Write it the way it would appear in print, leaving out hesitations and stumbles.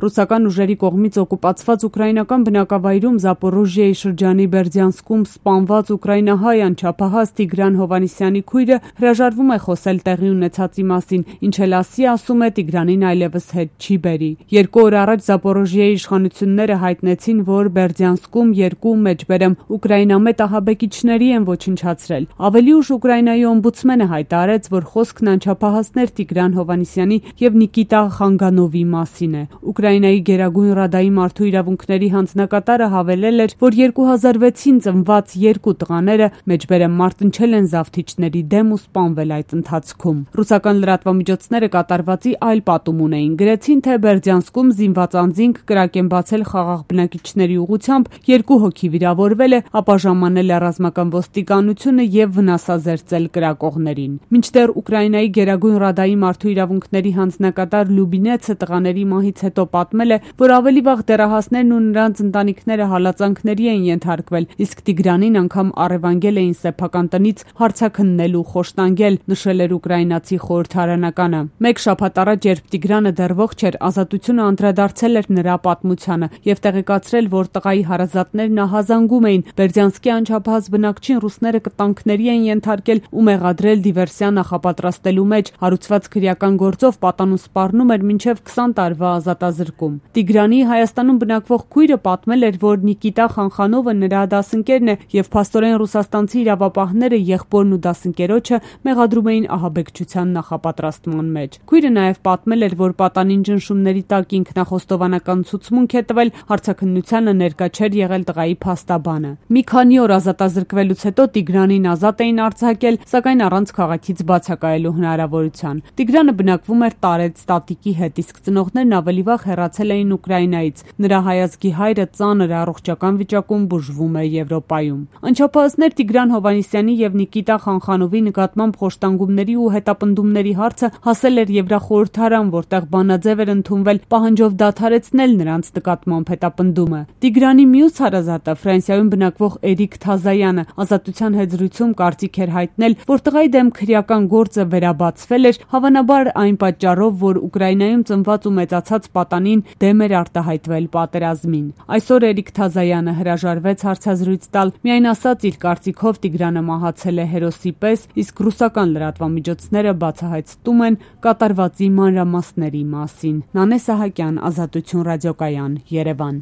Ռուսական ուժերի կողմից օկուպացված ուկրաինական բնակավայրում Զապորոժիայի շրջանի Բերդյանսկում սպանված ուկրաինահայ անչափահաս Տիգրան Հովհաննիսյանի քույրը հրաժարվում է խոսել տեղի ունեցածի մասին, ինչ էլ ասի, ասում է, Տիգրանին այլևս հետ չի բերի։ 2 օր առաջ Զապորոժիայի իշխանությունները հայտնեցին, որ Բերդյանսկում 2 մեջբերեմ ուկրաինամետ ահաբեկիչների են ոչնչացրել։ Ավելի ուշ Ուկրաինայի օմբուդսմենը հայտարարեց, որ խոսքն անչափահասներ Տիգրան Հովհաննիսյանի եւ Նիկիտա Խանգանովի մասին է։ Ուկրաինայի Գերագույն Ռադայի մարդու իրավունքների հանձնակատարը հավելել էր, որ 2006-ին ծնված 2 տղաները մեջբերեմ մարտնչել են զավթիչների դեմ ու սպանվել այդ ընթացքում։ Ռուսական լրատվամիջոցները կատարվածի այլ պատում ունեին, գրեցին, թե Բերդյանսկում զինված անձինք կրակ են բացել խաղաղ բնակիչների ուղղությամբ, 2 հոգի վիրավորվել է, ապա ժամանել է ռազմական ոստիկանությունը եւ վնասազերծել կրակողներին։ Մինչդեռ Ուկրաինայի Գերագույն Ռադայի մարդու իրավունքների հանձնակատար Լյուբինեցը տղաների մահից հետո պատմել է, որ ավելի վաղ դեռահասներն ու նրանց ընտանիքները հալածանքների էին ենթարկվել, իսկ Տիգրանին անգամ առևանգել էին սեփական տնից հարցաքննելու խոշտանգել, նշել էր ուկրաինացի խորհրդարանականը։ Մեկ շաբաթ առաջ, երբ Տիգրանը դեռ ողջ էր, Ազատությունը անդրադարձել էր նրա պատմությանը եւ տեղեկացրել, որ տղայի հարազատներն ահազանգում էին Բերդյանսկի անչափահաս բնակչին ռուսները կտանքների են ենթարկել ու մեղադրել դիվերսիա նախապատրաստելու մեջ, հարուցված քրեական գործով պատանուն սպառնում էր մինչև 20 տարվա ազատազրկում։ Տիգրանի Հայաստանում բնակվող քույրը պատմել էր, որ Նիկիտա Խանխանովը նրա դասընկերն է եւ փաստորեն ռուսաստանցի իրավապահները եղբորն ու դասընկերոջը մեղադրում էին ահաբեկչության նախապատրաստման մեջ։ Քույրը նաեւ պատմել էր, որ պատանին ճնշումների տակ ինքնախոստովանական ցուցմունք է տվել, հարցաքննությանը ներկա չէր եղել տղայի փաստաբանը։ Մի քանի օր ազատազրկվելուց հետո Տիգրանին ազատ էին արձակել, սակայն առանց քաղաքից բացակայելու հնարավորության։ Տիգրանը բնակվում էր տարեց տատիկի հետ, իսկ ծնողներն ավելի վաղ հեռացել էին Ուկրաինայից։ Նրա հայազգի հայրը ծանր առողջական վիճակում բուժվում է Եվրոպայում։ Անչափահասներ Տիգրան Հովհաննիսյանի եւ Նիկիտա Խանխանովի նկատմամբ խոշտանգումների ու հետապնդումների հարցը հասել էր Եվրախորհրդարան, որտեղ բանաձև էր ընդունվել պահանջով դադարեցնել նրանց նկատմամբ հետապնդումը։ Տիգրանի մյուս հարազատը, Ֆրանսիայում բնակվող Էրիկ Թազայանը, Ազատության հետ զրույցում կարծիք էր հայտնել, որ տղայի դեմ քրեական գործը վերաբացվել էր, հավանաբար այն պատճառով, որ Ուկրաինայում ծնված ու մեծացած պատանին դեմ էր արտահայտվել պատերազմին։ Այսօր Էրիկ Թազայանը հրաժարվեց հարցազրույց տալ, միայն ասաց իր կարծիքով Տիգրանը մահացել է հերոսի պես, իսկ ռուսական լրատվամիջոցները բացահայտում են կատարվածի մանրամասների մասին։ Նանե Սահակյան, Ազատություն ռադիոկայան, Երևան։